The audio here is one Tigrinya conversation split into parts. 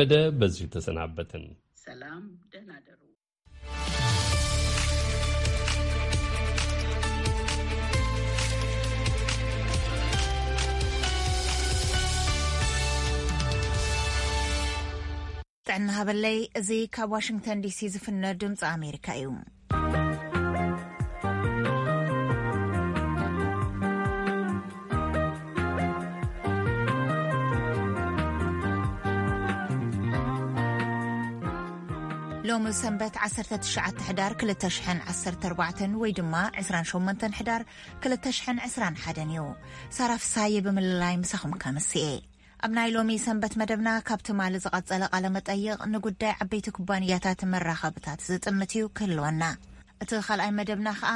ከበደ በዚሁ ተሰናበትን። ሰላም፣ ደህና ደሩ። ጥዕና ሃበለይ። እዚ ካብ ዋሽንግተን ዲሲ ዝፍነ ድምፂ ኣሜሪካ እዩ። ሎሚ ሰንበት ዓሰርተ ትሽዓተ ሕዳር ክልተ ሽሕን ዓሰርተ ኣርባዕተን ወይ ድማ ዕስራን ሸሞንተን ሕዳር ክልተ ሽሕን ዕስራን ሓደን እዩ። ሳራ ፍሳየ ብምልላይ ምሳኹም ከምስኤ። ኣብ ናይ ሎሚ ሰንበት መደብና ካብ ትማሊ ዝቐጸለ ቃለ መጠይቕ ንጉዳይ ዓበይቲ ኩባንያታት መራኸብታት ዝጥምት እዩ ክህልወና። እቲ ካልኣይ መደብና ኸኣ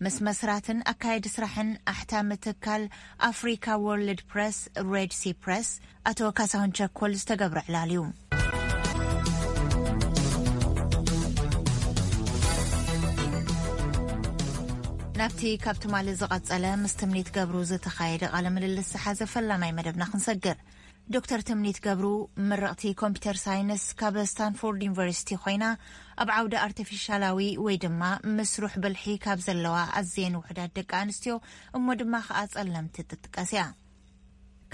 ምስ መስራትን ኣካየዲ ስራሕን ኣሕታሚ ትካል ኣፍሪካ ወርልድ ፕረስ፣ ሬድ ሲ ፕረስ፣ ኣቶ ካሳሁን ቸኮል ዝተገብረ ዕላል እዩ። ናብቲ ካብ ትማሊ ዝቐጸለ ምስ ትምኒት ገብሩ ዝተኻየደ ቃለ ምልልስ ዝሓዘ ፈላማይ መደብና ክንሰግር። ዶክተር ትምኒት ገብሩ ምርቕቲ ኮምፒተር ሳይንስ ካብ ስታንፎርድ ዩኒቨርሲቲ ኮይና፣ ኣብ ዓውዲ ኣርቲፊሻላዊ ወይ ድማ ምስሩሕ ብልሒ ካብ ዘለዋ ኣዝየን ውሑዳት ደቂ ኣንስትዮ እሞ ድማ ኸኣ ጸለምቲ ትጥቀስ እያ።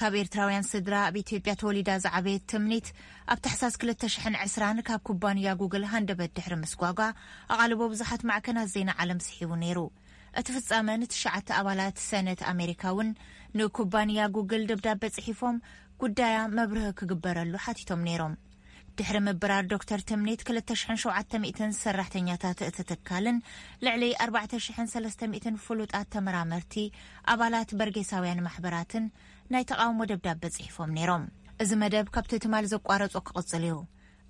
ካብ ኤርትራውያን ስድራ ኣብ ኢትዮጵያ ተወሊዳ ዝዓበየት ትምኒት፣ ኣብ ታሕሳስ ክልተ ሽሕን ዕስራን ካብ ኩባንያ ጉግል ሃንደበት ድሕሪ ምስጓጓ፣ ኣቓልቦ ብዙሓት ማዕከናት ዜና ዓለም ስሒቡ ነይሩ። እቲ ፍጻመ ንትሽዓተ ኣባላት ሰነት ኣሜሪካ እውን ንኩባንያ ጉግል ደብዳበ ጽሒፎም፣ ጉዳያ መብርሂ ክግበረሉ ሓቲቶም ነይሮም። ድሕሪ ምብራር ዶክተር ትምኒት፣ ክልተ ሽሕን ሸውዓተ ሚእትን ሰራሕተኛታት እቲ ትካልን ልዕሊ ኣርባዕተ ሽሕን ሰለስተ ሚእትን ፍሉጣት ተመራመርቲ፣ ኣባላት በርጌሳውያን ማሕበራትን ናይ ተቓውሞ ደብዳበ ጽሒፎም ነይሮም። እዚ መደብ ካብቲ ትማሊ ዘቋረጾ ክቕጽል እዩ።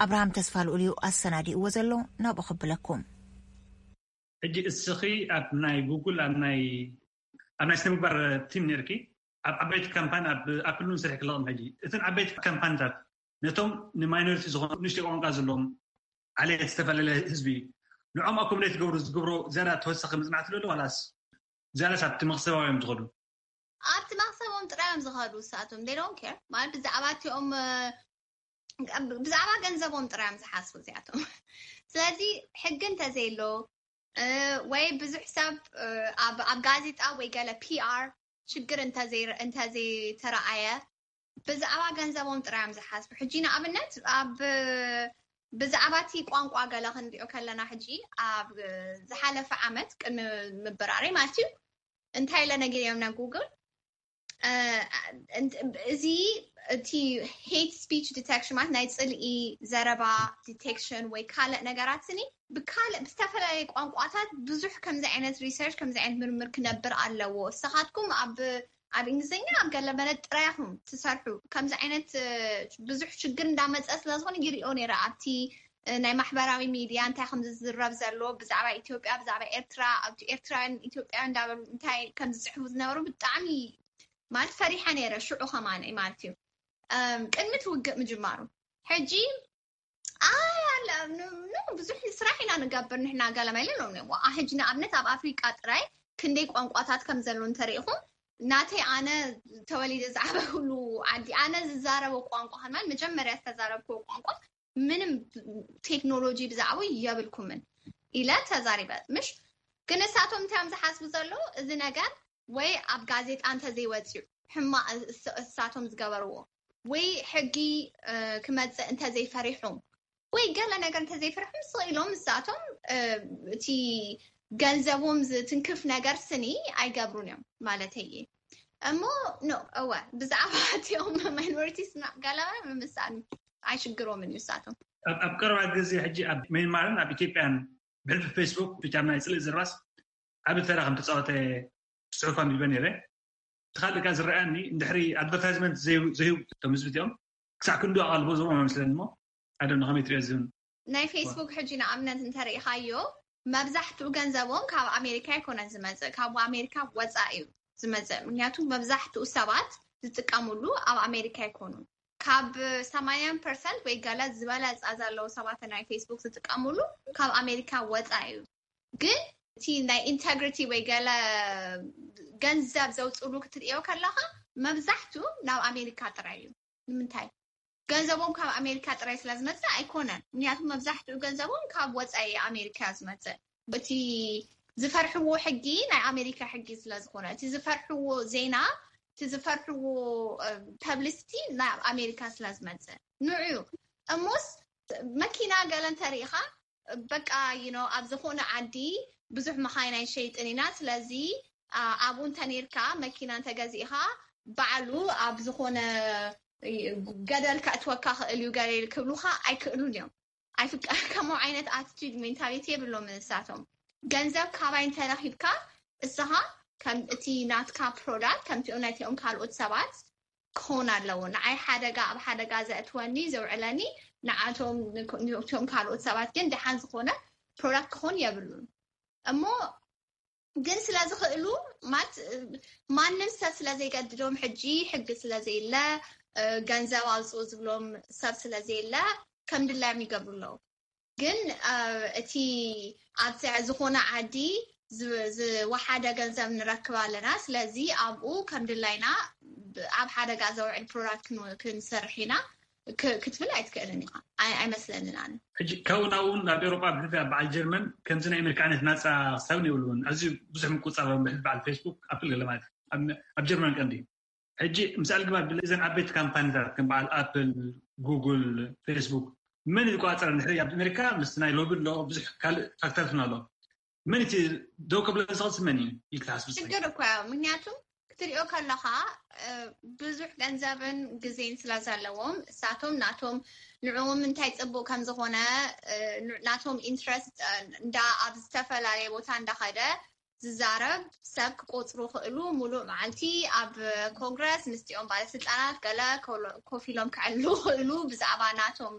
ኣብርሃም ተስፋ ልኡል እዩ ኣሰናዲእዎ ዘሎ፣ ናብኡ ክብለኩም። ሕጂ እስኺ ኣብ ናይ ጉግል፣ ኣብ ናይ፣ ኣብ ናይ ስነ ምግባር ቲም ነርኪ፣ ኣብ ዓበይቲ ካምፓኒ፣ ኣብ ኣፕል እውን ስራሕ ክለቕም። ሕጂ እተን ዓበይቲ ካምፓኒታት ነቶም ንማይኖሪቲ ዝኾኑ ንእሽተይ ቋንቋ ዘለዎም ዓሌት ዝተፈላለየ ህዝቢ እዩ። ንዖም ኣኮሞዴት ዝገብሩ፣ ዝገብሮ ዝያዳ ተወሳኺ መጽናዕቲ ዶ ኣሎ ዋላስ ዝያዳስ ኣብቲ መኽሰባዊ እዮም ዝኸዱ? ኣብቲ መኽሰቦም ጥራይ እዮም ዝኸዱ። ንሳቶም they don't care ማለት ብዛዕባ እቲኦም፣ እ፣ ብዛዕባ ገንዘቦም ጥራይ እዮም ዝሓስቡ እዚኣቶም። ስለዚ ሕጊ እንተዘየሎ፣ እ፣ ወይ ብዙሕ ሰብ፣ እ፣ ኣብ፣ ኣብ ጋዜጣ ወይ ገለ ፒ ኣር ሽግር እንተዘይ-፣ እንተዘይተረኣየ ብዛዕባ ገንዘቦም ጥራይ እዮም ዝሓስቡ። ሕጂ ንኣብነት ኣብ ብዛዕባ እቲ ቋንቋ ገለ ክንሪኦ ከለና፣ ሕጂ ኣብ ዝሓለፈ ዓመት ቅድሚ ምብራረይ ማለት እዩ፣ እንታይ ኢለ ነጊረዮም ናብ ጉግል፣ እ፣ እንት-፣ እዚ እቲ ሄት ስፒች ዲቴክሽን ማለት ናይ ጽልኢ ዘረባ ዲቴክሽን ወይ ካልእ ነገራት ስኒ ብካልእ ብዝተፈላለየ ቋንቋታት ብዙሕ ከምዚ ዓይነት ሪሰርች፣ ከምዚ ዓይነት ምርምር ክነብር ኣለዎ። እሳኻትኩም ኣብ ኣብ እንግሊዝኛ ኣብ ገለ መለ ጥራይ ኢኹም ትሰርሑ። ከምዚ ዓይነት፣ እ፣ ብዙሕ ሽግር እንዳመጸ ስለ ዝኾነ ይሪኦ ነይረ ኣብቲ፣ እ፣ ናይ ማሕበራዊ ሚድያ እንታይ ከም ዝዝረብ ዘሎ ብዛዕባ ኢትዮጵያ፣ ብዛዕባ ኤርትራ፣ ኣብቲ ኤርትራውያን ኢትዮጵያውያን እንዳበሉ እንታይ ከም ዝጽሕፉ ዝነበሩ ብጣዕሚ ማለት ፈሪሐ ነይረ። ሽዑ ከማን ማለት እዩ፣ እም፣ ቅድሚ እቲ ውግእ ምጅማሩ። ሕጂ ኣይ ኣለ ን-፣ ን-፣ ብዙሕ ስራሕ ኢና ንገብር ንሕና ገለ መለ ኢሎም እዮም። ዋኣ ሕጂ ንኣብነት ኣብ ኣፍሪቃ ጥራይ ክንደይ ቋንቋታት ከም ዘሎ እንተሪኢኹም፣ ናተይ ኣነ ተወሊደ ዝዓበኹሉ ዓዲ፣ ኣነ ዝዛረቦ ቋንቋ ከማን መጀመርያ ዝተዛረብክዎ ቋንቋ ምንም ቴክኖሎጂ ብዛዕባኡ የብልኩምን ኢለ ተዛሪበ። ምሽ ግን ንሳቶም እንታይ እዮም ዝሓስቡ ዘለዉ? እዚ ነገር ወይ ኣብ ጋዜጣ እንተዘይወፅዩ ሕማቕ እስ-፣ እሳቶም ዝገበርዎ ወይ ሕጊ፣ እ፣ ክመፅእ እንተዘይፈሪሖም ወይ ገለ ነገር እንተዘይፈሪሖም ስቕ ኢሎም እሳቶም፣ እ፣ እቲ ገንዘቦም ዝትንክፍ ነገር ስኒ ኣይገብሩን እዮም ማለተይ እየ። እሞ ኖ፣ እወ፣ ብዛዕባ እቲኦም ማይኖሪቲስ ገለ ምምሳል ኣይሽግሮምን እዩ እሳቶም። ኣብ፣ ኣብ ቀረባ ግዜ ሕጂ ኣብ ሜንማርን ኣብ ኢትዮጵያን ብሕልፊ ፌስቡክ ብቻ ናይ ጽልኢ ዝርባስ ዓቢ ተራ ከም ተጻወተ ጽሑፍ ኣንቢበ ነይረ። እቲ ካልእ ከኣ ዝረኣየኒ እንድሕሪ ኣድቨርታይዝመንት ዘይ-፣ ዘይህቡ እቶም ህዝቢ እቲኦም ክሳዕ ክንዱ ኣቓልቦ ዝህቦም ኣይመስለኒ እሞ፣ I don't know ከመይ ትሪኦ እዚ እውን። ናይ ፌስቡክ ሕጂ ንኣብነት እንተሪኢኻዮ መብዛሕትኡ ገንዘቦም ካብ ኣሜሪካ ኣይኮነን ዝመጽእ፣ ካብ ኣሜሪካ ወጻኢ እዩ ዝመጽእ። ምክንያቱ መብዛሕትኡ ሰባት ዝጥቀምሉ ኣብ ኣሜሪካ ኣይኮኑን። ካብ ሰማንያ ፐርሰንት ወይ ገለ ዝበለጸ ዘለዉ ሰባት ናይ ፌስቡክ ዝጥቀምሉ ካብ ኣሜሪካ ወጻኢ እዩ። ግን እቲ ናይ ኢንተግሪቲ ወይ ገለ ገንዘብ ዘውፅሉ ክትርእዮ ከለኻ መብዛሕትኡ ናብ ኣሜሪካ ጥራይ እዩ። ንምንታይ? ገንዘቦም ካብ ኣሜሪካ ጥራይ ስለ ዝመፅእ ኣይኮነን። ምክንያቱ መብዛሕትኡ ገንዘቦም ካብ ወፃኢ ኣሜሪካ ዝመፅእ። እቲ ዝፈርሕዎ ሕጊ ናይ ኣሜሪካ ሕጊ ስለ ዝኾነ፣ እቲ ዝፈርሕዎ ዜና፣ እቲ ዝፈርሕዎ ፐብሊሲቲ ናይ ኣሜሪካ ስለ ዝመፅእ ንዑ እዩ። እሞስ መኪና ገለ እንተሪኢኻ በቃ you know ኣብ ዝኾነ ዓዲ ብዙሕ መኻይን ኣይንሸይጥን ኢና። ስለዚ ኣብኡ እንተኔርካ መኪና እንተገዚእኻ ባዕሉ ኣብ ዝኾነ ገደል ከእትወካ ክእል እዩ ገለ ክብሉካ ኣይክእሉን እዮም። ኣይፍቀ ከምኡ ዓይነት ኣቲቲዩድ ሜንታሊቲ የብሎም ንሳቶም። ገንዘብ ካባይ እንተረኪብካ እስኻ ከም እቲ ናትካ ፕሮዳክት ከምቲኦም ናይቲኦም ካልኦት ሰባት ክኸውን ኣለዎ። ንዓይ ሓደጋ ኣብ ሓደጋ ዘእትወኒ ዘውዕለኒ ንዓቶም ንእቶም ካልኦት ሰባት ግን ደሓን ዝኾነ ፕሮዳክት ክኾን የብሉን። እሞ ግን ስለ ዝኽእሉ ማለት ማንም ሰብ ስለ ዘይገድዶም ሕጂ ሕጊ ስለ ዘየለ ገንዘብ ኣውፅኡ ዝብሎም ሰብ ስለ ዘየለ ከም ድላዮም ይገብሩ ኣለዉ። ግን እቲ ኣብቲ ዝኾነ ዓዲ ዝወሓደ ገንዘብ ንረክብ ኣለና። ስለዚ ኣብኡ ከም ድላይና ኣብ ሓደጋ ዘውዕል ፕሮዳክት ክንሰርሕ ኢና ክትብል ኣይትክእልን ኢኻ። ኣይመስለንን ኣነ። ሕጂ ካብኡ ናብኡ እውን ናብ ኤውሮጳ ብሕልፊ ኣብ በዓል ጀርመን ከምዚ ናይ ኣሜሪካ ዓይነት ናፃ ክሳብ የብልውን። ኣዝዩ ብዙሕ ምቁፅፃር ብሕልፊ በዓል ፌስቡክ፣ ኣፕል ገለ ማለት ኣብ ጀርመን ቀንዲ ሕጂ ምስ ኣልግባብ እዘን ዓበይቲ ካምፓኒታት ከም በዓል ኣፕል፣ ጉግል፣ ፌስቡክ መን ይቆፃፀር? ንድሕሪ ኣብ ኣሜሪካ ምስ ናይ ሎቢ ኣሎ ብዙሕ ካልእ ፋክተር ኣሎ። መን እቲ ደው ከብሎ ዝኽእል መን እዩ ኢልካ ትሓስብ? ሽግር እኮ እዩ። ምክንያቱ ክትሪኦ ከለኻ ብዙሕ ገንዘብን ግዜን ስለ ዘለዎም እሳቶም ናቶም ንዕኦም እንታይ ፅቡቅ ከም ዝኾነ ናቶም ኢንትረስት እንዳ ኣብ ዝተፈላለየ ቦታ እንዳኸደ ዝዛረብ ሰብ ክቆፅሩ ክእሉ ሙሉእ መዓልቲ ኣብ ኮንግረስ ምስቲኦም ባለስልጣናት ገለ ኮፍ ኢሎም ክዕሉ ክእሉ ብዛዕባ ናቶም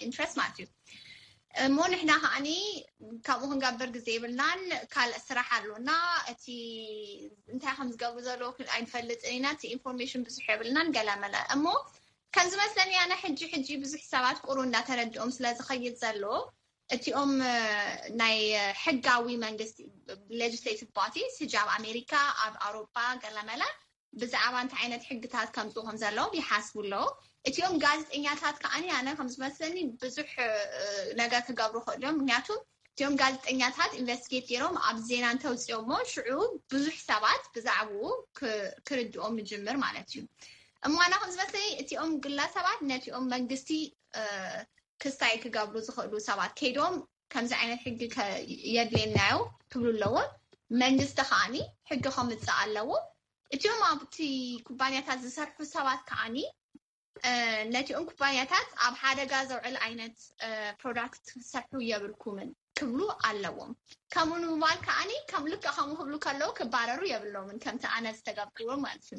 ኢንትረስት ማለት እዩ። እሞ ንሕና ከዓኒ ካብኡ ክንገብር ግዜ የብልናን። ካልእ ስራሕ ኣሎና። እቲ እንታይ ከም ዝገብሩ ዘለዉ ኣይንፈልጥን ኢና። እቲ ኢንፎርሜሽን ብዙሕ የብልናን ገለ መለ። እሞ ከም ዝመስለኒ ኣነ ሕጂ ሕጂ ብዙሕ ሰባት ቁሩ እንዳተረድኦም ስለ ዝኸይድ ዘሎ እቲኦም ናይ ሕጋዊ መንግስቲ ሌጅስሌቲቭ ቦዲስ ሕጂ ኣብ ኣሜሪካ ኣብ ኣውሮፓ ገለ መለ ብዛዕባ እንታይ ዓይነት ሕግታት ከምፅኡ ከም ዘለዎም ይሓስቡ ኣለዉ። እቲኦም ጋዜጠኛታት ከዓኒ ኣነ ከም ዝመስለኒ ብዙሕ ነገር ክገብሩ ክእሉ እዮም። ምክንያቱ እቲኦም ጋዜጠኛታት ኢንቨስቲጌት ገይሮም ኣብ ዜና እንተውፅኦሞ ሽዑ ብዙሕ ሰባት ብዛዕባኡ ክርድኦም ምጅምር ማለት እዩ። እሞ ኣነ ከም ዝመስለኒ እቲኦም ግለሰባት ነቲኦም መንግስቲ ክስታይ ክገብሩ ዝኽእሉ ሰባት ከይዶም ከምዚ ዓይነት ሕጊ የድልየናዮ ክብሉ ኣለዎም። መንግስቲ ከዓኒ ሕጊ ከምፅእ ኣለዎ። እቲኦም ኣብቲ ኩባንያታት ዝሰርሑ ሰባት ከዓኒ ነቲኦም ኩባንያታት ኣብ ሓደጋ ዘውዕል ዓይነት ፕሮዳክት ክትሰርሑ የብልኩምን ክብሉ ኣለዎም። ከምኡ ንምባል ከዓኒ ከም ልክዕ ከምኡ ክብሉ ከለዉ ክባረሩ የብሎምን ከምቲ ኣነ ዝተገብርዎ ማለት እዩ።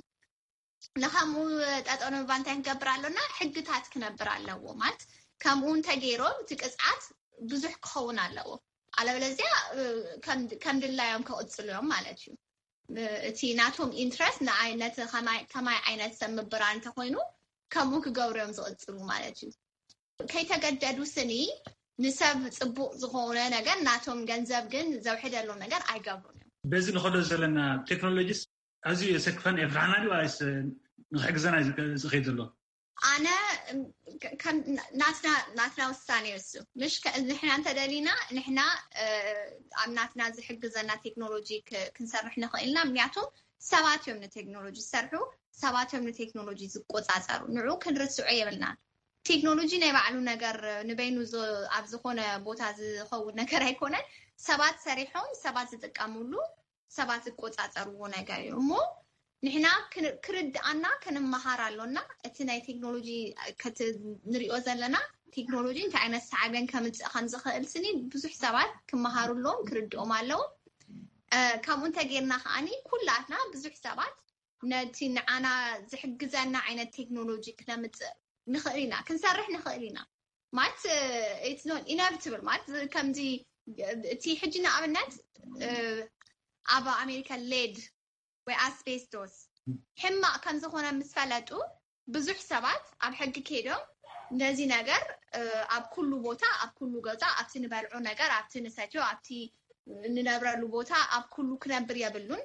ንከምኡ ጠጠው ንምባል እንታይ ክንገብር ኣሎና? ሕግታት ክነብር ኣለዎ ማለት ከምኡ እንተገይሮም እቲ ቅፅዓት ብዙሕ ክኸውን ኣለዎ። ኣለበለዚያ ከም ድላዮም ክቕፅሉ እዮም ማለት እዩ። እቲ ናቶም ኢንትረስት ንዓይነት ከማይ ዓይነት ሰብ ምብራር እንተኮይኑ ከምኡ ክገብሩ እዮም ዝቕፅሉ ማለት እዩ። ከይተገደዱ ስኒ ንሰብ ፅቡቅ ዝኾነ ነገር ናቶም ገንዘብ ግን ዘውሕደሎም ነገር ኣይገብሩን እዮም። በዚ ንኸዶ ዘለና ቴክኖሎጂስ ኣዝዩ የሰክፈን የፍርሓና ድዩ ወይስ ንክሕግዘና እዩ ዝኸይድ ዘሎ? ኣነ ናትና ውሳኔ እሱ ምሽ ንሕና እንተደሊና ንሕና ኣብ ናትና ዝሕግዘና ቴክኖሎጂ ክንሰርሕ ንኽእልና ምክንያቱም ሰባት እዮም ንቴክኖሎጂ ዝሰርሑ ሰባት እዮም ንቴክኖሎጂ ዝቆፃፀሩ ንዑ ክንርስዖ የብልና። ቴክኖሎጂ ናይ ባዕሉ ነገር ንበይኑ ኣብ ዝኾነ ቦታ ዝኸውን ነገር ኣይኮነን። ሰባት ሰሪሖም ሰባት ዝጥቀምሉ ሰባት ዝቆፃፀርዎ ነገር እዩ እሞ ንሕና ክርድኣና ክንመሃር ኣሎና። እቲ ናይ ቴክኖሎጂ ንሪኦ ዘለና ቴክኖሎጂ እንታይ ዓይነት ሳዕቤን ከምፅእ ከምዝኽእል ስኒ ብዙሕ ሰባት ክመሃሩ ኣለዎም ክርድኦም ኣለዎም። ከምኡ እንተጌርና ከዓኒ ኩላትና ብዙሕ ሰባት ነቲ ንዓና ዝሕግዘና ዓይነት ቴክኖሎጂ ክነምፅእ ንኽእል ኢና ክንሰርሕ ንኽእል ኢና ማለት ኢነብትብል ማለት ከምዚ እቲ ሕጂ ንኣብነት ኣብ ኣሜሪካ ሌድ ወይ ኣስቤስቶስ ሕማቕ ከም ዝኾነ ምስ ፈለጡ ብዙሕ ሰባት ኣብ ሕጊ ከይዶም ነዚ ነገር ኣብ ኩሉ ቦታ ኣብ ኩሉ ገዛ ኣብቲ ንበልዖ ነገር ኣብቲ ንሰትዮ ኣብቲ ንነብረሉ ቦታ ኣብ ኩሉ ክነብር የብሉን።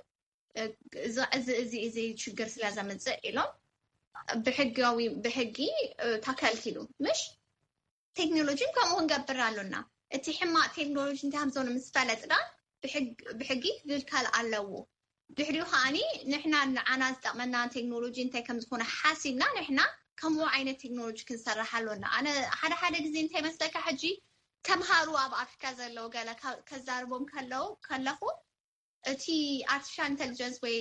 እዚ እዚ እዚ ሽግር ስለ ዘምፅእ ኢሎም ብሕጋዊ ብሕጊ ተከልኪሉ ምሽ ቴክኖሎጂ ከምኡ ክንገብር ኣሎና። እቲ ሕማቅ ቴክኖሎጂ እንታይ ከም ዝኾነ ምስ ፈለጥና ብሕጊ ክግልከል ኣለዎ። ድሕሪኡ ከዓኒ ንሕና ንዓና ዝጠቅመና ቴክኖሎጂ እንታይ ከም ዝኾነ ሓሲብና ንሕና ከምኡ ዓይነት ቴክኖሎጂ ክንሰርሕ ኣሎና። ኣነ ሓደ ሓደ ግዜ እንታይ መስለካ ሕጂ ተምሃሩ ኣብ ኣፍሪካ ዘለዉ ገለ ከዛርቦም ከለዉ ከለኹ እቲ ኣርቲፊሻል ኢንቴሊጀንስ ወይ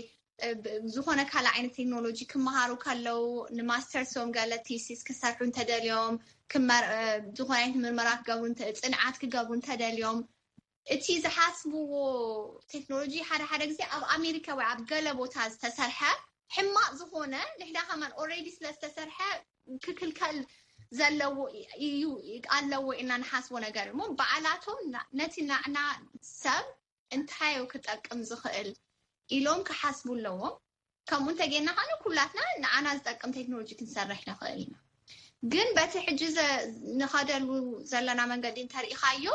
ዝኾነ ካልእ ዓይነት ቴክኖሎጂ ክመሃሩ ከለዉ ንማስተርሶም ገለ ቲሲስ ክሰርሑ እንተደልዮም ዝኾነ ዓይነት ምርመራ ክገብሩ ጽንዓት ክገብሩ እንተደልዮም እቲ ዝሓስብዎ ቴክኖሎጂ ሓደ ሓደ ግዜ ኣብ ኣሜሪካ ወይ ኣብ ገለ ቦታ ዝተሰርሐ ሕማቅ ዝኾነ ንሕና ከማን ኦሬዲ ስለ ዝተሰርሐ ክክልከል ዘለዎ እዩ ኣለዎ ኢና ንሓስቦ ነገር እሞ በዓላቶም ነቲ ናዕና ሰብ እንታይ እዩ ክጠቅም ዝኽእል ኢሎም ክሓስቡ ኣለዎም። ከምኡ እንተጌና ከነ ኩላትና ንዓና ዝጠቅም ቴክኖሎጂ ክንሰርሕ ንኽእል ኢና። ግን በቲ ሕጂ ንኸደሉ ዘለና መንገዲ እንተሪኢኻዮ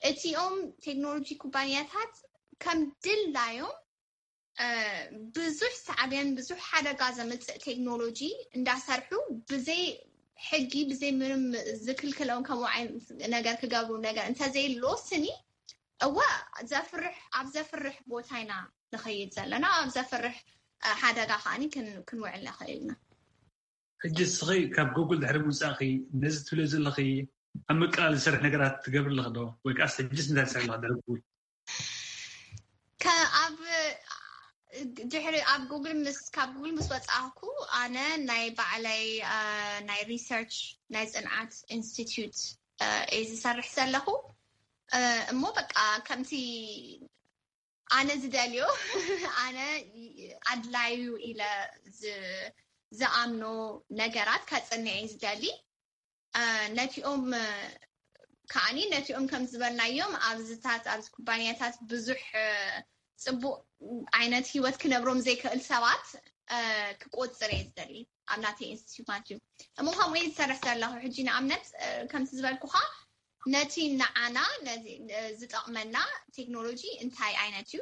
እቲኦም ቴክኖሎጂ ኩባንያታት ከም ድላዮም ብዙሕ ሳዕቤን ብዙሕ ሓደጋ ዘምፅእ ቴክኖሎጂ እንዳሰርሑ ብዘይ ሕጊ ብዘይ ምንም ዝክልክሎም ከምኡ ዓይነት ነገር ክገብሩ ነገር እንተዘይሎ ስኒ እወ ዘፍርሕ ኣብ ዘፍርሕ ቦታ ኢና ንኸይድ ዘለና ኣብ ዘፍርሕ ሓደጋ ከዓኒ ክንውዕል ንኽእል ኢና። ሕጂ እስኺ ካብ ጉግል ድሕሪ ምውፃእኺ ነዚ ትብልዮ ዘለኺ ኣብ ምቅላል ዝሰርሕ ነገራት ትገብር ኣለኺ ዶ ወይ ከዓስ ሕጅስ እንታይ ትሰርሕ ኣለኺ ድሕሪ ጉግል? ኣብ ድሕሪ ኣብ ጉግል ምስ ካብ ጉግል ምስ ወፃእኩ ኣነ ናይ ባዕለይ ናይ ሪሰርች ናይ ፅንዓት ኢንስቲትዩት እየ ዝሰርሕ ዘለኹ እሞ በቃ ከምቲ ኣነ ዝደልዮ ኣነ ኣድላዩ ኢለ ዝኣምኖ ነገራት ከፅንዕ ዝደሊ ነቲኦም ከዓኒ ነቲኦም ከም ዝበልናዮም ኣብዝታት ኣብዚ ኩባንያታት ብዙሕ ፅቡቅ ዓይነት ሂወት ክነብሮም ዘይክእል ሰባት ክቆፅር እየ ዝደሊ ኣብ ናተይ ኢንስቲትዩት ማለት እዩ እሞ ከምኡ ዝሰርሕ ዘለኹ ሕጂ ንኣብነት ከምቲ ዝበልኩኻ ነቲ ንዓና ዝጠቕመና ቴክኖሎጂ እንታይ ዓይነት እዩ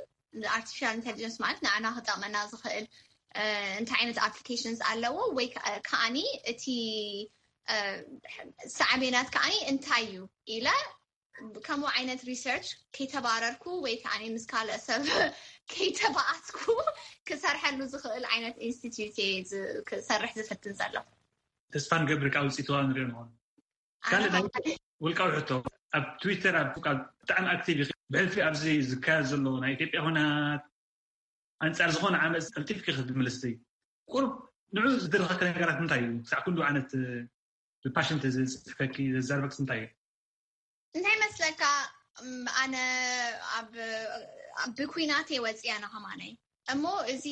ኣርቲፊሻል ኢንቴሊጀንስ ማለት ንዓና ክጠቕመና ዝኽእል እንታይ ዓይነት ኣፕሊኬሽንስ ኣለዎ ወይ ከዓኒ እቲ ሳዕቤናት ከዓኒ እንታይ እዩ ኢለ ከምኡ ዓይነት ሪሰርች ከይተባረርኩ ወይ ከዓ ምስ ካልእ ሰብ ከይተባኣስኩ ክሰርሐሉ ዝኽእል ዓይነት ኢንስቲትዩት ክሰርሕ ዝፍትን ዘሎ ተስፋ ንገብር ካብ ውፅኢትዋ ንሪኦ ንኾኑ ካልእ ውልቃዊ ሕቶ ኣብ ትዊተር ብጣዕሚ ኣክቲቭ ብሕልፊ ኣብዚ ዝካየድ ዘሎ ናይ ኢትዮጵያ ኩናት ኣንፃር ዝኾነ ዓመፅ ቀልጢፍኪ ክትምልስቲ ቁሩብ ንዑ ዝደረኸኪ ነገራት እንታይ እዩ ክሳዕ ኩሉ ዓይነት ፓሽን ተዝፅሕፈኪ ዘዛርበክስ እንታይ እዩ እንታይ መስለካ ኣነ ብኩናት ወፅያ ና ከማነይ እሞ እዚ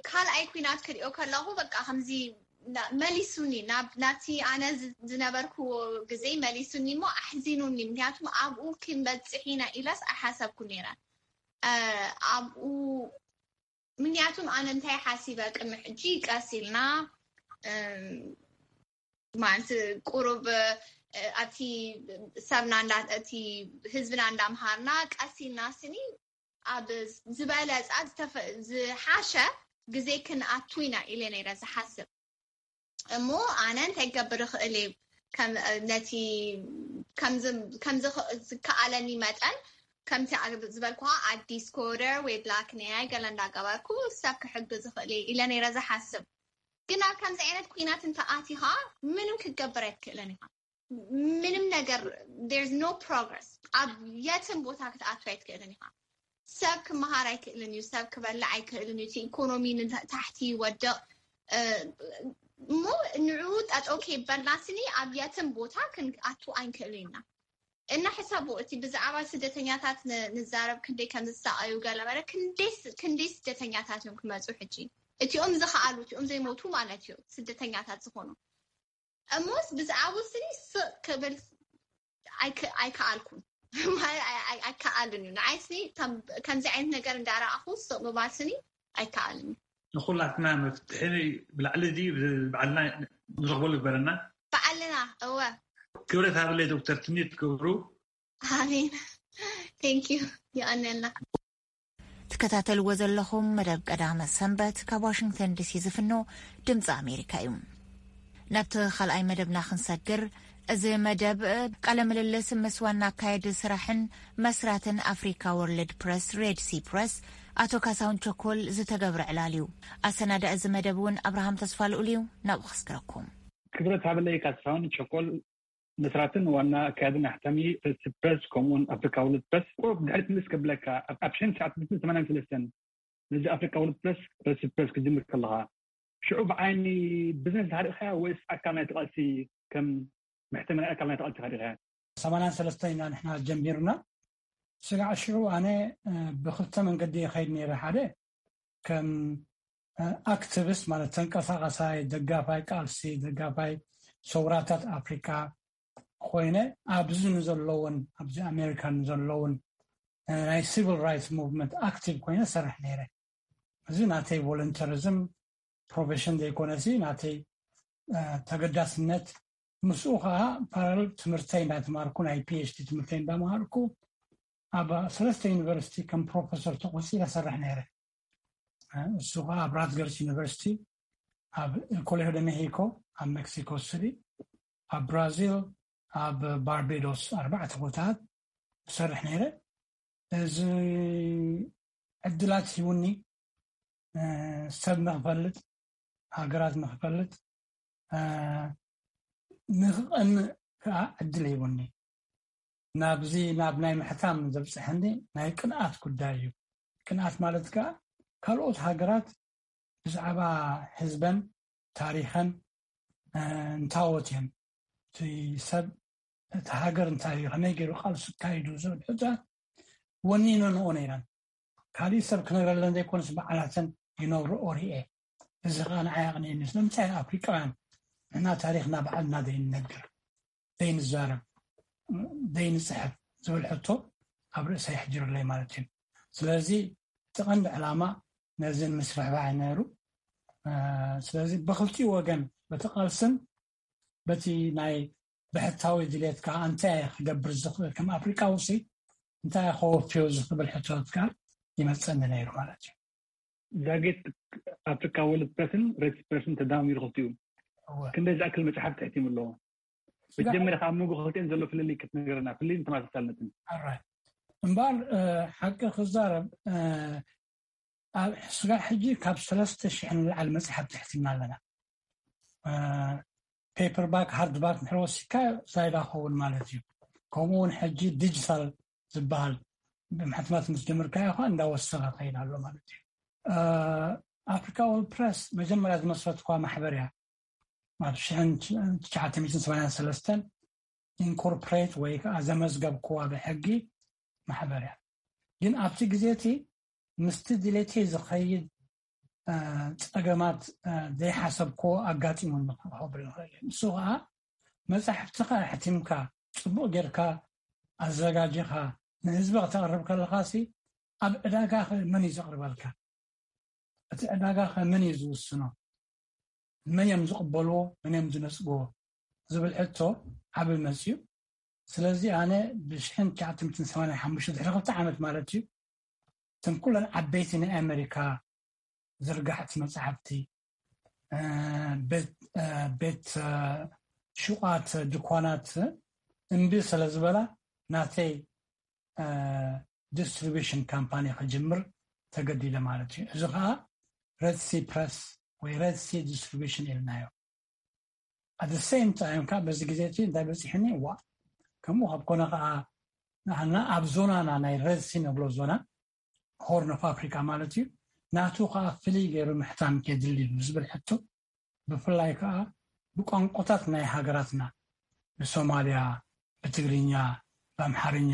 ካልኣይ ኩናት ክሪኦ ከለኹ በቃ ከምዚ መሊሱኒ ናቲ ኣነ ዝነበርኩዎ ግዜ መሊሱኒ እሞ ኣሕዚኑኒ ምክንያቱም ኣብኡ ክንበፅሕ ኢና ኢለስ ኣይሓሰብኩ ነይረ ኣብኡ ምክንያቱም ኣነ እንታይ ሓሲበ ቅድሚ ሕጂ ቀስ ኢልና ማለት ቁሩብ ኣብቲ ሰብና እቲ ህዝብና እንዳምሃርና ቀስ ኢልና ስኒ ኣብ ዝበለፃ ዝሓሸ ግዜ ክንኣቱ ኢና ኢለ ነይረ ዝሓስብ እሞ ኣነ እንታይ ክገብር ይኽእል እዩ ነቲ ከምዚ ዝከኣለኒ መጠን ከምቲ ዝበልኩ ኣዲስ ኮደር ወይ ብላክ ኔይ ገለ እንዳገበርኩ ሰብ ክሕግዝ ይኽእል ኢለ ነይረ ዝሓስብ ግን ኣብ ከምዚ ዓይነት ኩናት እንተኣቲኻ ምንም ክትገብር ኣይትክእልን ኢኻ ምንም ነገር there's no progress ኣብ የትን ቦታ ክትኣቱ ኣይትክእልን ኢኻ ሰብ ክመሃር ኣይክእልን እዩ ሰብ ክበልዕ ኣይክእልን እዩ ኢኮኖሚ ታሕቲ ይወድቕ እሞ ንዕኡ ጠጠው ከይበልና ስኒ ኣብ የትን ቦታ ክንኣቱ ኣይንክእልን ኢና እና ሕሰቡ እቲ ብዛዕባ ስደተኛታት ንዛረብ ክንደይ ከም ዝሳቀዩ ገለመለ ክንደይ ስደተኛታት እዮም ክመፁ ሕጂ እቲኦም ዝኸኣሉ እቲኦም ዘይሞቱ ማለት እዩ ስደተኛታት ዝኾኑ እሞስ ብዛዕባኡ ስኒ ስቕ ክብል ኣይከኣልኩን ኣይከኣልን እዩ ንዓይ ስኒ ከምዚ ዓይነት ነገር እንዳረኣኹ ስቕ ምባል ስኒ ኣይከኣልን እዩ ንኩላትና መፍትሒ ብላዕሊ እዚ ብዓልና ንረኽበሉ ግበረና በዓልና እወ ክብረት ሃበለይ ዶክተር ትምኒት ገብሩ ኣሜን thank you የቐንየልና እቲ ትከታተልዎ ዘለኹም መደብ ቀዳመ ሰንበት ካብ ዋሽንግተን ዲሲ ዝፍኖ ድምፂ ኣሜሪካ እዩ። ናብቲ ካልኣይ መደብና ክንሰግር፣ እዚ መደብ ቃለ ምልልስ ምስ ዋና ኣካየዲ ስራሕን መስራትን ኣፍሪካ ወርልድ ፕረስ፣ ሬድ ሲ ፕረስ፣ ኣቶ ካሳሁን ቸኮል ዝተገብረ ዕላል እዩ። ኣሰናዳ እዚ መደብ እውን ኣብርሃም ተስፋ ልኡል እዩ። ናብኡ ከስግረኩም። ክብረት ሃበለይ ካሳሁን ቸኮል፣ መስራትን ዋና ኣካያድን ኣሕታሚ ሬድ ሲ ፕረስ፣ ከምኡውን ኣፍሪካ ወርልድ ፕረስ። ቁሩብ ድሕሪት ምልስ ከብለካ፣ ኣብ ሽሕን ትሽዓተ ሚእትን ሰማንያን ሰለስተን ነዚ ኣፍሪካ ወርልድ ፕረስ፣ ሬድ ሲ ፕረስ ክጅምር ከለኻ፣ ሽዑ ብዓይኒ ቢዝነስ ዲኻ ርኢኻያ ወይስ ኣካል ናይቲ ቃልሲ፣ ከም መሕተሚ ናይ ኣካል ናይቲ ቃልሲ ኢኻ ርኢኻያ? ሰማንያን ሰለስተን ኢና ንሕና ጀሚርና። ስጋዕ ሽዑ ኣነ፣ እ፣ ብክልተ መንገዲ ይኸይድ ነይረ። ሓደ ከም፣ እ፣ ኣክቲቪስት ማለት ተንቀሳቓሳይ ደጋፋይ ቃልሲ፣ ደጋፋይ ሰውራታት ኣፍሪካ ኮይነ ኣብዚ ንዘለውን፣ ኣብዚ ኣሜሪካ ንዘለውን፣ እ፣ ናይ ሲቪል ራይትስ ሙቭመንት ኣክቲቭ ኮይነ ሰርሕ ነይረ። እዚ ናተይ ቮለንተሪዝም ፕሮፌሽን ዘይኮነሲ ናተይ፣ እ፣ ተገዳስነት። ምስኡ ከዓ ፓራሌል ትምህርተይ እንዳተማርኩ፣ ናይ ፒ ኤች ዲ ትምህርተይ እንዳመሃርኩ ኣብ ሰለስተ ዩኒቨርሲቲ ከም ፕሮፌሰር ተቆፂረ ሰርሕ ነይረ። እ፣ እሱ ከዓ ኣብ ራትገርስ ዩኒቨርሲቲ፣ ኣብ ኮሌጆ ደ ሜሂኮ ኣብ ሜክሲኮ ሲቲ፣ ኣብ ብራዚል፣ ኣብ ባርቤዶስ ኣርባዕተ ቦታታት እሰርሕ ነይረ። እዚ ዕድላት ሂቡኒ፣ እ፣ ሰብ ንኽፈልጥ፣ ሃገራት ንኽፈልጥ፣ እ፣ ንኽቐንእ ከዓ ዕድል ሂቡኒ። ናብዚ፣ ናብ ናይ ምሕታም ዘብፅሐኒ ናይ ቅንኣት ጉዳይ እዩ። ቅንኣት ማለት ከዓ ካልኦት ሃገራት ብዛዕባ ህዝበን ታሪኸን፣ እ፣ እንታዎት እዮም፣ እቲ ሰብ፣ እቲ ሃገር እንታይ እዩ፣ ከመይ ገይሩ ቃልሱ ኣካይዱ ዝብል ሕቶታት ወኒነንኦ ነይረን። ካሊእ ሰብ ክነግረለን ዘይኮነስ ባዕላተን ይነግርኦ ርኤ። እዚ ከዓ ንዓይ ኣቕኒእኒ። ስለምንታይ ኣፍሪቃውያን ንሕና ታሪኽና ባዕልና ዘይንነግር፣ ዘይንዛረብ፣ ዘይንፅሕፍ ዝብል ሕቶ ኣብ ርእሰይ ኣሕዲሩለይ ማለት እዩ። ስለዚ እቲ ቀንዲ ዕላማ ነዚ ንምስፍሕፋሕ እዩ ነይሩ። እ፣ ስለዚ ብክልቲኡ ወገን፣ በቲ ቃልስን በቲ ናይ ብሕታዊ ድሌት ከዓ እንታይ እየ ክገብር ዝኽእል፣ ከም ኣፍሪቃዊ ሲ እንታይ እየ ከወፍዮ ዝኽብል ሕቶታት ከዓ ይመፀኒ ነይሩ ማለት እዩ። ዛጌት ኣፍሪካ ወርልድ ፕረስን ሬድ ሲ ፕረስን ተዳሚሩ ክልቲኡ እወ። ክንደይ ዝኣክል መፅሓፍቲ ሕቲሙ ኣለዎ? ስጋ- መጀመርያ ካብ መንጎ ክልቲአን ዘሎ ፍልልይ ክትነግረና፣ ፍልልይን ተመሳሳልነትን። ኣራይ። እምበኣር፣ እ፣ ሓቂ ክዛረብ፣ እ፣ ኣብ ስጋዕ ሕጂ ካብ ሰለስተ ሽሕ ንላዕሊ መፅሓፍቲ ሕቲምና ኣለና። እ፣ ፔፐር ባክ፣ ሃርድ ባክ እንድሕር ወሲድካ ዛይዳ ክኸውን ማለት እዩ። ከምኡ እውን ሕጂ ዲጂታል ዝበሃል ብሕትመት ምስ ጀመርካዮ ከዓ እንዳወሰኸ ከይድ ኣሎ ማለት እዩ። እ፣ ኣፍሪካ ወርልድ ፕረስ መጀመርያ ዝመስረትኳ ማሕበር እያ። ኣብ ሽሕን ትሽዓተ ሚእትን ሰማንያን ሰለስተን ኢንኮርፖሬት ወይ ከዓ ዘመዝገብክዋ ብሕጊ ማሕበር እያ። ግን ኣብቲ ግዜ እቲ ምስቲ ድሌተይ ዝኸይድ፣ እ፣ ጸገማት፣ እ፣ ዘይሓሰብክዎ ኣጋጢሙኒ ክብል ንኽእል እየ። ንሱ ከዓ መጻሕፍትኻ ኣሕቲምካ፣ ጽቡቕ ጌርካ ኣዘጋጂኻ ንህዝቢ ክተቕርብ ከለኻሲ ኣብ ዕዳጋ ኸ መን እዩ ዘቕርበልካ? እቲ ዕዳጋ ኸ መን እዩ ዝውስኖ? መን እዮም ዝቕበልዎ? መን እዮም ዝነጽግዎ? ዝብል ሕቶ ዓቢ መጽዩ። ስለዚ ኣነ ብሽሕን ትሽዓተ ሚእትን ሰማንያን ሓሙሽተ ድሕሪ ክልተ ዓመት ማለት እዩ፣ እተን ኩለን ዓበይቲ ናይ ኣሜሪካ ዝርጋሕቲ መጻሕፍቲ፣ እ፣ ቤት፣ እ፣ ቤት፣ እ፣ ሹቓት፣ ድኳናት እምቢ ስለ ዝበላ ናተይ፣ እ፣ ዲስትሪቢሽን ካምፓኒ ክጅምር ተገዲደ ማለት እዩ። እዚ ከዓ ሬድ ሲ ፕረስ ወይ ሬድ ሲ ዲስትሪቢሽን ኢልናዮ። ኣት ሴም ታይም ከዓ በዚ ግዜ እቲ እንታይ በፂሕኒ፣ ዋ፣ ከምኡ ካብ ኮነ ከዓ ንዓና ኣብ ዞናና ናይ ሬድ ሲ ንብሎ ዞና ሆርን ኦፍ ኣፍሪካ ማለት እዩ፣ ናቱ ከዓ ፍልይ ገይሩ ምሕታም የድሊ እዩ ዝብል ሕቶ፣ ብፍላይ ከዓ ብቋንቋታት ናይ ሃገራትና፣ ብሶማልያ፣ ብትግርኛ፣ ብኣምሓርኛ፣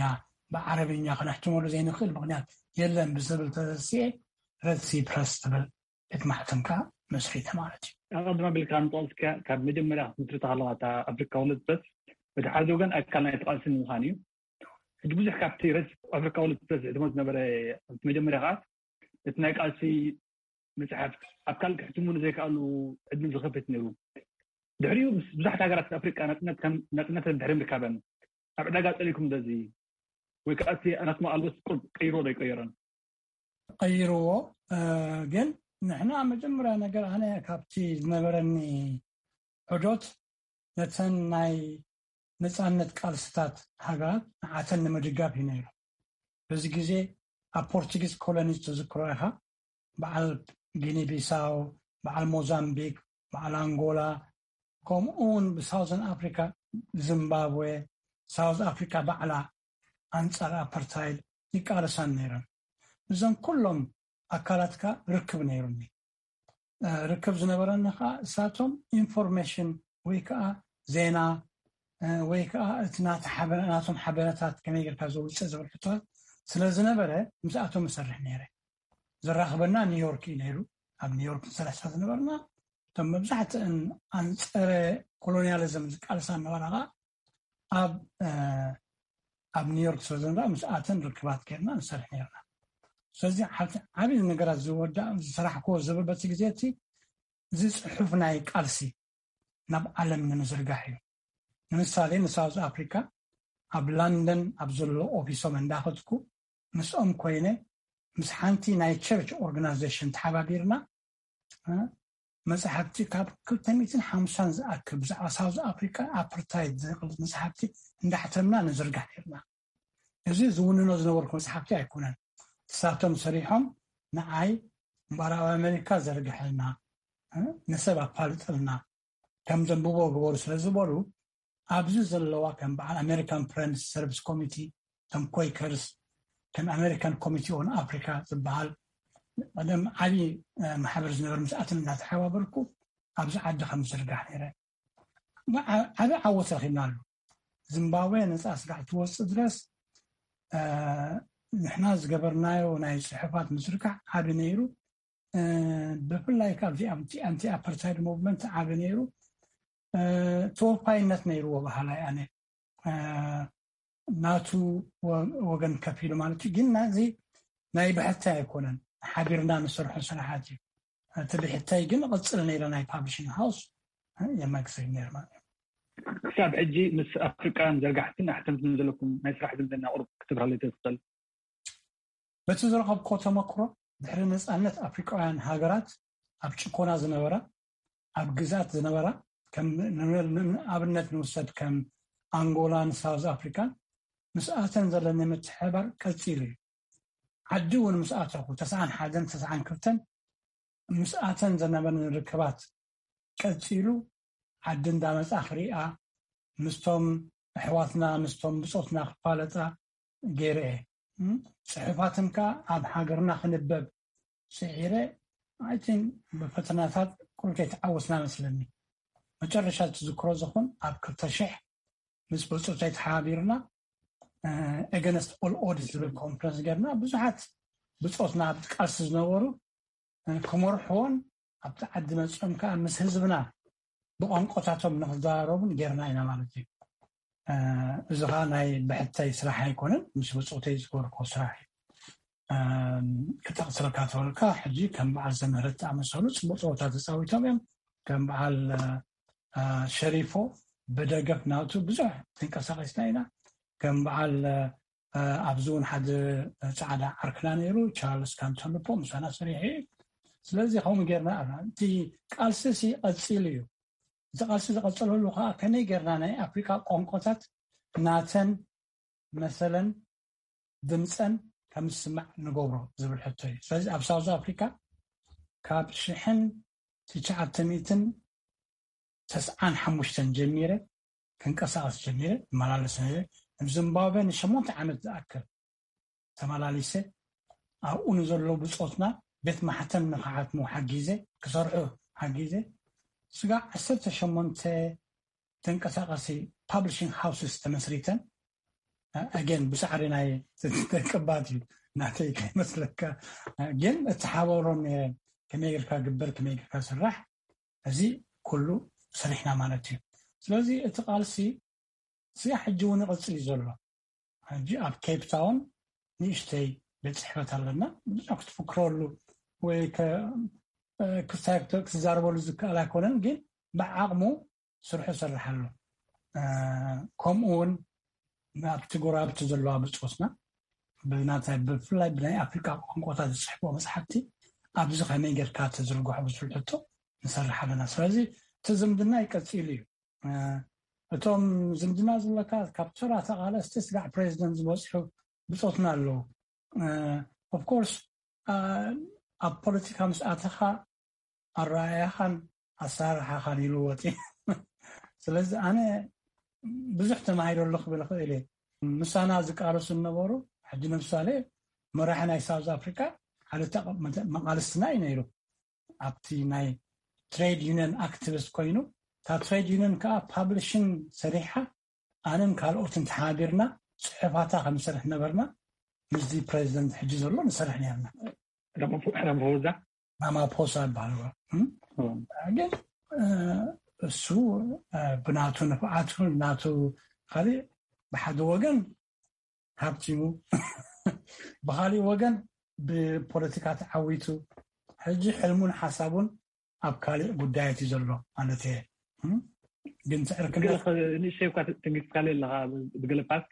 ብዓረብኛ ክነሕትመሉ ዘይንኽእል ምኽንያት የለን ብዝብል ተሰሲኤ ሬድ ሲ ፕረስ ትብል ቤት ማሕተም ከዓ መስሪተ ማለት እዩ። ኣቐድማ ቢልካ ንጠቕስካ ካብ መጀመርያ ክትምስርታ ከለኻ እታ ኣፍሪካ ወርልድ ፕረስ በቲ ሓደ ወገን ኣካል ናይቲ ቃልሲ ንምዃን እዩ። ሕጂ ብዙሕ ካብቲ ሬድ ኣፍሪካ ወርልድ ፕረስ ዝሕትሞ ዝነበረ ኣብቲ መጀመርያ ከዓ እቲ ናይ ቃልሲ መፅሓፍቲ ኣብ ካልእ ክሕትሙ ንዘይከኣሉ ዕድል ዝኸፍት ነይሩ። ድሕሪኡ ምስ ብዙሓት ሃገራት ኣፍሪቃ ናፅነት ከም ናፅነተን ድሕሪ ምርካበን ኣብ ዕዳጋ ፀሊኩም ዶ እዚ ወይ ከዓ እቲ ናትኩም ኣልቦስ ቁርብ ቀይሮ ዶ ኣይቀየሮን? ቀይርዎ። ግን ንሕና መጀመርያ ነገር ኣነ ካብቲ ዝነበረኒ ዑዶት ነተን ናይ ነፃነት ቃልስታት ሃገራት ንዓተን ንምድጋፍ እዩ ነይሩ። በዚ ግዜ ኣብ ፖርቱጊዝ ኮሎኒ ትዝክሮ ኢኻ፣ በዓል ጊኒ ቢሳው፣ በዓል ሞዛምቢክ፣ በዓል ኣንጎላ፣ ከምኡ እውን ብሳውዘን ኣፍሪካ ዚምባብዌ፣ ሳውዝ ኣፍሪካ ባዕላ ኣንፃር ኣፓርታይድ ይቃለሳን ነይረን። እዞም ኩሎም ኣካላትካ ርክብ ነይሩኒ። ርክብ ዝነበረኒ ከዓ እሳቶም ኢንፎርሜሽን ወይ ከዓ ዜና ወይ ከዓ እቲ ናቶም ሓበረታት ከመይ ጌርካ ዘውፅእ ዝብል ሕቶታት ስለዝነበረ ምስኣቶም እሰርሕ ነይረ። ዘራኽበና ኒውዮርክ እዩ ነይሩ። ኣብ ኒውዮርክ ንሰርሕ ስለ ዝነበርና እቶም መብዛሕትአን ኣንፀረ ኮሎኒያሊዝም ዝቃልሳ ነበራ ከዓ ኣብ ኣብ ኒውዮርክ ስለ ዝነበራ ምስኣተን ርክባት ጌርና ንሰርሕ ነርና። ስለዚ ዓብዪ ነገራት ዝወዳ ዝሰራሕክዎ ዝብል በቲ ግዜ እቲ እዚ ፅሑፍ ናይ ቃልሲ ናብ ዓለም ንምዝርጋሕ እዩ። ንምሳሌ ንሳውዝ ኣፍሪካ ኣብ ላንደን ኣብ ዘሎ ኦፊሶም እንዳኸድኩ ምስኦም ኮይነ ምስ ሓንቲ ናይ ቸርች ኦርጋናይዜሽን ተሓባቢርና መፅሓፍቲ ካብ ክልተ ሚእትን ሓምሳን ዝኣክል ብዛዕባ ሳውዝ ኣፍሪካ ኣፓርታይድ ዝብል መፅሓፍቲ እንዳሕተምና ንዝርጋሕ ነርና። እዚ ዝውንኖ ዝነበርኩ መፅሓፍቲ ኣይኮነን። ንሳቶም ሰሪሖም ንዓይ ምዕራብ ኣሜሪካ ዘርግሐልና፣ ንሰብ ኣፋልጠልና፣ ከም ዘንብቦ ግበሩ ስለ ዝበሉ ኣብዚ ዘለዋ ከም በዓል ኣሜሪካን ፍረንድስ ሰርቪስ ኮሚቲ፣ ከም ኮይከርስ፣ ከም ኣሜሪካን ኮሚቲ ኦን ኣፍሪካ ዝበሃል ቀደም ዓብዪ ማሕበር ዝነበር ምስኣትን እናተሓባበርኩ ኣብዚ ዓዲ ከም ዝርጋሕ ነይረ። ዓብዪ ዓወት ረኪብና ኣሎ። ዚምባብዌ ነፃ ስራሕ ትወፅእ ድረስ ንሕና ዝገበርናዮ ናይ ፅሑፋት ምዝርጋሕ ዓቢ ነይሩ። ብፍላይ ካብዚ ኣንቲ ኣፓርታይድ ሙቭመንት ዓቢ ነይሩ። ተወፋይነት ነይርዎ በሃላይ ኣነ። ናቱ ወገን ከፊሉ ማለት እዩ። ግን ናዚ ናይ ብሕታይ ኣይኮነን፣ ሓቢርና ንሰርሖ ስራሓት እዩ። እቲ ብሕታይ ግን ቕፅል ነይረ ናይ ፓብሊሽንግ ሃውስ የመግስግ ነይር ማለት እዩ። ክሳብ ሕጂ ምስ ኣፍሪቃውያን ዘርጋሕትን ኣሕተምትን ዘለኩም ናይ ስራሕ ዝምድና ቁሩብ ክትብራለይ ትኽእል? በቲ ዝረኸብኮ ተመክሮ ድሕሪ ነፃነት ኣፍሪቃውያን ሃገራት ኣብ ጭኮና ዝነበራ ኣብ ግዛት ዝነበራ ኣብነት ንውሰድ ከም ኣንጎላን ሳውዝ ኣፍሪካን ምስኣተን ዘለኒ ምትሕባር ቀፂሉ እዩ። ዓዲ እውን ምስኣተኹ ተስዓን ሓደን ተስዓን ክልተን ምስኣተን ዘነበኒ ርክባት ቀፂሉ ዓዲ እንዳመፃ ክሪኣ ምስቶም ኣሕዋትና ምስቶም ብፆትና ክፋለጣ ገይረ እየ። ፅሑፋትን ከዓ ኣብ ሃገርና ክንበብ ስዒረ ኣይቲን ብፈተናታት ኩሉ ከይተዓወትና መስለኒ። መጨረሻ ትዝክሮ ዝኹን ኣብ ክልተ ሽሕ ምስ ብፁዕተይ ተሓባቢርና ኤገነስት ኦል ኦድስ ዝብል ኮንፈረንስ ገርና ብዙሓት ብፆትና ኣብ ቃልሲ ዝነበሩ ክመርሕዎን ኣብቲ ዓዲ መፅኦም ከዓ ምስ ህዝብና ብቋንቆታቶም ንክዘራረቡን ጌርና ኢና ማለት እዩ። እዚ ከዓ ናይ ብሕተይ ስራሕ ኣይኮነን፣ ምስ ብፆተይ ዝገበርኮ ስራሕ እዩ። ክጠቅስረካ ተበልካ ሕጂ ከም በዓል ዘምህረት ዝኣመሰሉ ፅቡቅ ፀወታ ተፃዊቶም እዮም። ከም በዓል ሸሪፎ ብደገፍ ናቱ ብዙሕ ተንቀሳቀስና ኢና። ከም በዓል ኣብዚ እውን ሓደ ፃዕዳ ዓርክና ነይሩ ቻርልስ ካንተልፖ ምሳና ሰሪሑ እዩ። ስለዚ ከምኡ ጌርና ኣለና። እቲ ቃልሲ ሲ ቀፂሉ እዩ። እቲ ቃልሲ ዝቐፀለሉ ከዓ ከመይ ጌርና ናይ ኣፍሪካ ቋንቋታት ናተን መሰለን ድምፀን ከም ዝስማዕ ንገብሮ ዝብል ሕቶ እዩ። ስለዚ ኣብ ሳውዝ ኣፍሪካ ካብ ሽሕን ትሽዓተ ሚእትን ተስዓን ሓሙሽተን ጀሚረ ክንቀሳቀስ ጀሚረ እመላለስ ነይረ። ኣብ ዚምባብዌ ንሸሞንተ ዓመት ዝኣክል ተመላሊሰ ኣብኡ ንዘለዉ ብፆትና ቤት ማሕተም ንክሓትሙ ሓጊዘ ክሰርሑ ሓጊዘ ስጋዕ ዓሰርተ ሸሞንተ ተንቀሳቀሲ ፓብሊሽንግ ሃውስስ ተመስሪተን ኣገን ብሳዕሪ ናይ ደቅባት እዩ ናተይ ከይመስለካ ግን እተሓባብሮም ነይረ ከመይ ጌርካ ግበር ከመይ ጌርካ ስራሕ እዚ ኩሉ ሰሪሕና ማለት እዩ። ስለዚ እቲ ቃልሲ ስጋ ሕጂ እውን ይቕፅል እዩ ዘሎ። ሕጂ ኣብ ኬፕ ታውን ንእሽተይ ቤት ፅሕፈት ኣለና። ብዙሕ ክትፍክረሉ ወይ ክስታይ ክትዛረበሉ ዝከኣል ኣይኮነን፣ ግን ብዓቕሙ ስርሑ ይሰርሕ ኣሎ። ከምኡ እውን ኣብቲ ጎረባብቲ ዘለዋ ብፆትና ብናታይ ብፍላይ ብናይ ኣፍሪካ ቋንቋታት ዝፅሕፍዎ መፅሓፍቲ ኣብዚ ከመይ ጌርካ ተዝርግሖ ብዝብል ሕቶ ንሰርሕ ኣለና። ስለዚ እቲ ዝምድና ይቀፂሉ እዩ። እቶም ዝምድና ዝብለካ ካብ ተራ ተቓለስቲ ስጋዕ ፕሬዚደንት ዝበፅሑ ብፆትና ኣለዉ። ኦፍኮርስ ኣብ ፖለቲካ ምስ ኣተኻ ኣረኣያኻን ኣሰራርሓኻን ይልወጥ እዩ። ስለዚ ኣነ ብዙሕ ተማሂረ ኣሎ ክብል እኽእል እየ። ምሳና ዝቃለሱ ዝነበሩ ሕጂ ንምሳሌ መራሒ ናይ ሳውዝ ኣፍሪካ ሓደ መቃልስትና እዩ ነይሩ። ኣብቲ ናይ ትሬድ ዩኒየን ኣክቲቪስት ኮይኑ እታ ትሬድ ዩኒየን ከዓ ፓብሊሽን ሰሪሓ ኣነን ካልኦትን ተሓቢርና ፅሑፋታ ከምሰርሕ ነበርና። ምስዚ ፕሬዚደንት ሕጂ ዘሎ ንሰርሕ ነርና። ራማፎዛ ራማፖሳ ይበሃል። ግን እሱ ብናቱ ንፍዓቱ ናቱ ካሊእ ብሓደ ወገን ሃብቲሙ ብካሊእ ወገን ብፖለቲካ ተዓዊቱ ሕጂ ሕልሙን ሓሳቡን ኣብ ካሊእ ጉዳያት እዩ ዘሎ ማለት እየ። ግን ትዕርክነት ንእሽተይ እኳ ትንግስካለ ኣለካ ብገለ ፓርት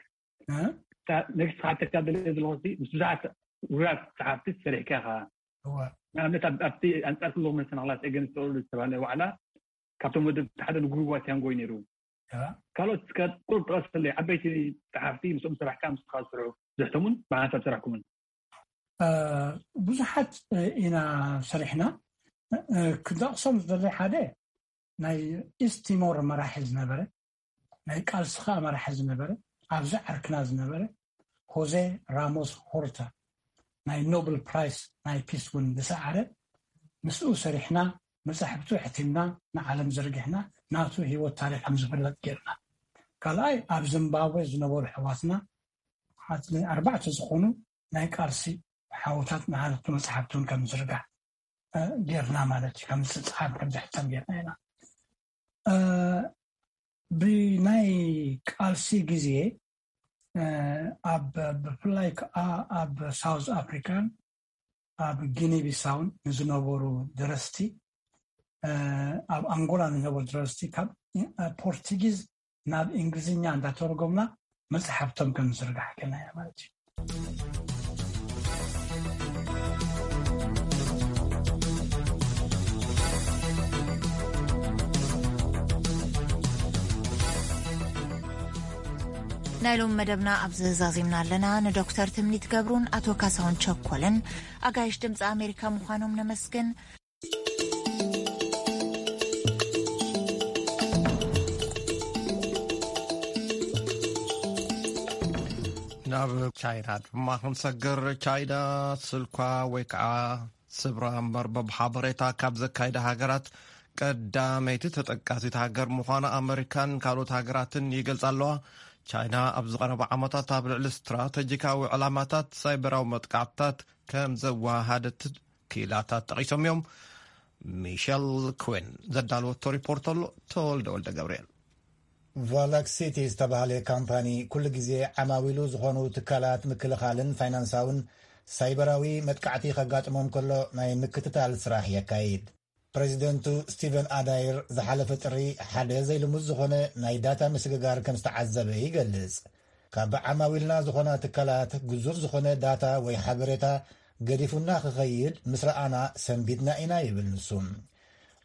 ነግስካ ተካደለ ዘለኹ ምስ ብዙሓት ውራት ፀሓፍቲ ሰሪሕካ ኢኻ። ንኣብነት ኣብቲ ኣንፃር ክልኹም መሰናክላት ኤገንስት ዝተባሃለ ዋዕላ ካብቶም ወደብ ሓደ ንጉሩዋ ቲያንጎይ ነይሩ። ካልኦት እስከ ቁሩብ ጥቀሰለይ ዓበይቲ ፀሓፍቲ ምስኦም ሰራሕካ ምስኻ ዝሰርሑ ዝሕተሙን ብሓንሳብ ሰራሕኩምን። ብዙሓት ኢና ሰሪሕና። ክጠቕሶም ዝደለይ ሓደ ናይ ኢስት ቲሞር መራሒ ዝነበረ ናይ ቃልሲ ከዓ መራሒ ዝነበረ ኣብዚ ዓርክና ዝነበረ ሆዜ ራሞስ ሆርታ ናይ ኖብል ፕራይስ ናይ ፒስ እውን ዝሰዓረ ምስኡ ሰሪሕና መፃሕፍቱ ሕቲምና ንዓለም ዘርጊሕና ናቱ ህይወት ታሪክ ከም ዝፍለጥ ጌርና። ካልኣይ ኣብ ዚምባብዌ ዝነበሩ ኣሕዋትና ኣርባዕተ ዝኾኑ ናይ ቃልሲ ሓውታት ንሓለፍቲ መፅሓፍቲ እውን ከም ዝርጋሕ ጌርና ማለት እዩ። ከም ዝፅሓፍ ከም ዝሕተም ጌርና ኢና። ብናይ ቃልሲ ግዜ ኣብ ብፍላይ ከዓ ኣብ ሳውዝ ኣፍሪካን ኣብ ጊኒ ቢሳውን ንዝነበሩ ደረስቲ ኣብ ኣንጎላ ንነበሩ ደረስቲ ካብ ፖርቱጊዝ ናብ እንግሊዝኛ እንዳተረጎምና መፅሓፍቶም ከም ዝርጋሕ ጌርና ኢና ማለት እዩ። ናይ ሎም መደብና ኣብዚ ዛዚምና ኣለና። ንዶክተር ትምኒት ገብሩን ኣቶ ካሳሁን ቸኮልን ኣጋይሽ ድምፂ ኣሜሪካ ምዃኖም ነመስግን። ናብ ቻይና ድማ ክንሰግር። ቻይና ስልኳ ወይ ከዓ ስብራ መርበብ ሓበሬታ ካብ ዘካይዳ ሃገራት ቀዳመይቲ ተጠቃሲት ሃገር ምዃና ኣመሪካን ካልኦት ሃገራትን ይገልጻ ኣለዋ። ቻይና ኣብ ዝቐረባ ዓመታት ኣብ ልዕሊ ስትራተጂካዊ ዕላማታት ሳይበራዊ መጥቃዕትታት ከም ዘወሃደት ክኢላታት ጠቒሶም እዮም። ሚሸል ኩን ዘዳለወቶ ሪፖርት ኣሎ። ተወልደ ወልደ ገብርኤል። ቫላክሲቲ ዝተባህለ ካምፓኒ ኩሉ ግዜ ዓማዊሉ ዝኾኑ ትካላት ምክልኻልን ፋይናንሳውን ሳይበራዊ መጥቃዕቲ ከጋጥሞም ከሎ ናይ ምክትታል ስራሕ የካይድ። ፕሬዚደንቱ ስቲቨን ኣዳይር ዝሓለፈ ጥሪ ሓደ ዘይልሙድ ዝኾነ ናይ ዳታ ምስግጋር ከም ዝተዓዘበ ይገልጽ። ካብ ዓማዊልና ዝኾና ትካላት ግዙፍ ዝኾነ ዳታ ወይ ሓበሬታ ገዲፉና ክኸይድ ምስ ረኣና ሰንቢድና ኢና ይብል ንሱ።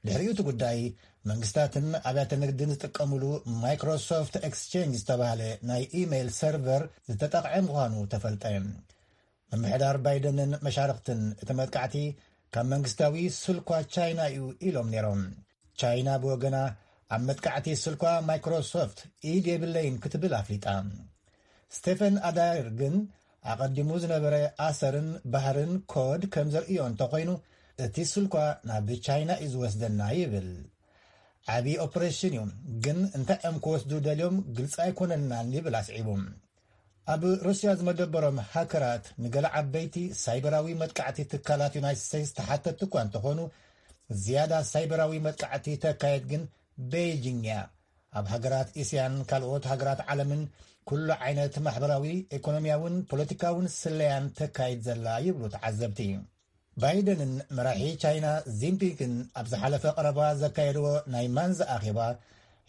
ድሕሪኡ እቲ ጉዳይ መንግስታትን ኣብያተ ንግድን ዝጥቀምሉ ማይክሮሶፍት ኤክስቼንጅ ዝተባህለ ናይ ኢሜይል ሰርቨር ዝተጠቕዐ ምዃኑ ተፈልጠ። ምምሕዳር ባይደንን መሻርኽትን እቲ መጥቃዕቲ ካብ መንግስታዊ ስልኳ ቻይና እዩ ኢሎም ነይሮም። ቻይና ብወገና ኣብ መጥቃዕቲ ስልኳ ማይክሮሶፍት ኢድ የብለይን ክትብል ኣፍሊጣ። ስቴፈን ኣዳይር ግን ኣቐዲሙ ዝነበረ ኣሰርን ባህርን ኮድ ከም ዘርእዮ እንተኾይኑ እቲ ስልኳ ናብ ቻይና እዩ ዝወስደና ይብል። ዓብዪ ኦፕሬሽን እዩ፣ ግን እንታይ እዮም ክወስዱ ደልዮም ግልፂ ኣይኮነልናን ይብል ኣስዒቡ። ኣብ ሩስያ ዝመደበሮም ሃከራት ንገለ ዓበይቲ ሳይበራዊ መጥቃዕቲ ትካላት ዩናይትድ ስቴትስ ተሓተትቲ እኳ እንተኾኑ ዝያዳ ሳይበራዊ መጥቃዕቲ ተካየድ ግን ቤይጂንግ እያ። ኣብ ሃገራት እስያን ካልኦት ሃገራት ዓለምን ኩሉ ዓይነት ማሕበራዊ፣ ኢኮኖሚያውን ፖለቲካውን ስለያን ተካይድ ዘላ ይብሉ ተዓዘብቲ። ባይደንን መራሒ ቻይና ዚንፒንግን ኣብ ዝሓለፈ ቀረባ ዘካየድዎ ናይ ማንዛ ኣኼባ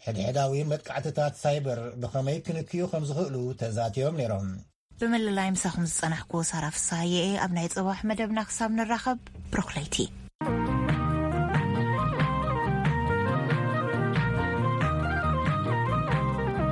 ሕድሕዳዊ መጥቃዕትታት ሳይበር ብኸመይ ክንክዩ ከም ዝኽእሉ ተዛትዮም ነይሮም። ብምልላይ ምሳኹም ዝጸናሕኩ ሳራ ፍስሃየ እየ። ኣብ ናይ ጽባሕ መደብና ክሳብ ንራኸብ፣ ብሩኽ ለይቲ።